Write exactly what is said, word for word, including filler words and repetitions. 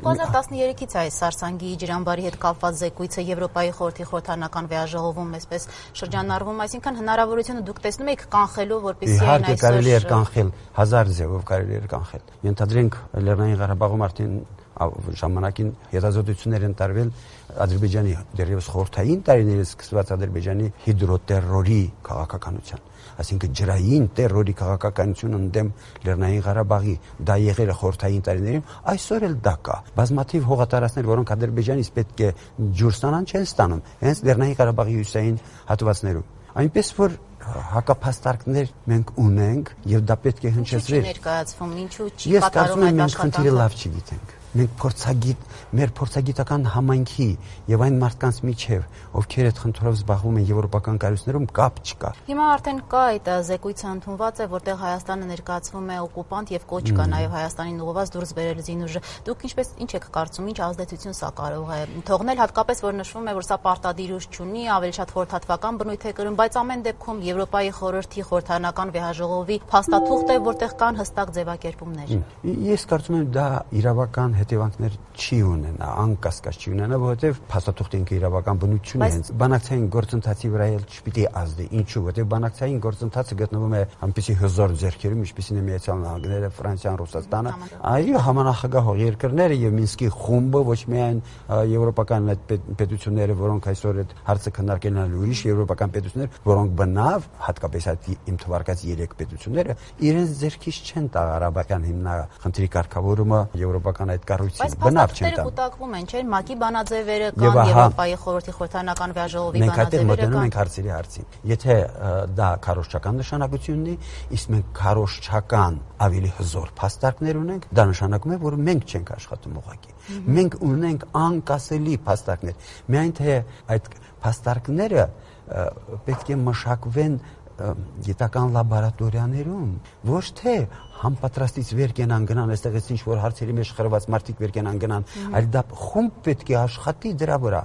երկու հազար տասներեքից այս Սարսանգի ջրամբարի հետ կապված զեկույցը Եվրոպայի խորհրդի խորհրդանական վեաժողովում այսպես շրջանառվում, այսինքն հնարավորությունը դուք տեսնում եք կանխելու, որպեսզի այն այսօր կարելի էր կանխել, հազար ձևով կարելի էր կանխել։ Ենթադրենք Լեռնային Ղարաբաղում արդեն ժամանակին հետազոտություններ են տարվել Ադրբեջանի դեռևս խորհրդային տարիներից սկսված Ադրբեջանի հիդրոտերորի քաղաքականության, այսինքն ջրային տերորի քաղաքականություն ընդդեմ Լեռնային Ղարաբաղի, դա եղել է խորհրդային տարիներին, այսօր էլ դա կա։ Բազմաթիվ հողատարածքներ, որոնք Ադրբեջանից պետք է ջուր ստանան, չեն ստանում, հենց Լեռնային Ղարաբաղի հյուսային հատվածներում։ Այնպես որ հակափաստարկներ մենք ունենք եւ դա պետք է հնչեցվեր։ Ներկայացվում, ինչու չի կատարում այդ աշխատանքը։ Ես կարծում եմ մենք խնդիրը լավ չգիտենք։ Մենք փորձագիտ, մեր փորձագիտական համայնքի եւ այն մարդկանց միջև, ովքեր այդ խնդրով զբաղվում են եվրոպական կառույցներում, կապ չկա։ Հիմա արդեն կա այդ զեկույցը ընդունված է, որտեղ Հայաստանը ներկայացվում է օկուպանտ եւ կոչ կա նաեւ Հայաստանին ուղղված դուրս բերել զինուժը։ Դուք ինչպես ինչ եք կարծում, ինչ ազդեցություն սա կարող է թողնել, հատկապես որ նշվում է, որ սա պարտադիր ուժ չունի, ավելի շատ խորհրդատվական բնույթ է կրում, բայց ամեն դեպքում Եվրոպայի խորհրդի խորհրդանական վեաժողովի փաստաթուղթ է, որտեղ կան հստակ ձևակերպումներ։ Ես կարծում եմ դա իրավական հետևանքներ չի ունենա, անկասկած չի ունենա, որովհետև փաստաթուղթը ինքը իրավական բնություն է հենց բանակցային գործընթացի վրա էլ չպիտի ազդի։ Ինչու՞, որովհետև բանակցային գործընթացը գտնվում է այնպիսի հզոր ձեռքերում, ինչպիսին է Միացյալ Նահանգները, Ֆրանսիան, Ռուսաստանը, այո, համանախագահող երկրները եւ Մինսկի խումբը, ոչ միայն եվրոպական այդ պետությունները, որոնք այսօր այդ հարցը քննարկել են, ուրիշ եվրոպական պետություններ, որոնք բնավ, հատկապես այդ իմ թվարկած երեք պետությունները, իրենց ձեռքից չեն տա Ղարաբաղյան հիմնախնդրի կարգավորումը եվրոպական այդ կառույցին բնավ չեն տա։ Բայց կուտակվում են, չէ՞, ՄԱԿ-ի բանաձևերը կան, Եվրոպայի խորհրդի խորհրդանական վեաժողովի բանաձևերը կան։ Մենք մոտենում ենք հարցերի հարցին։ Եթե դա քարոզչական նշանակություն ունի, իսկ մենք քարոզչական ավելի հզոր փաստարկներ ունենք, դա նշանակում է, որ մենք չենք աշխատում ուղղակի։ Մենք ունենք անկասելի փաստարկներ։ Միայն թե այդ փաստարկները պետք է մշակվեն գիտական լաբորատորիաներում, ոչ թե համապատրաստից վեր կենան գնան, այստեղից ինչ որ հարցերի մեջ խրված մարդիկ վեր կենան գնան, այլ դա խումբ պետք է աշխատի դրա վրա։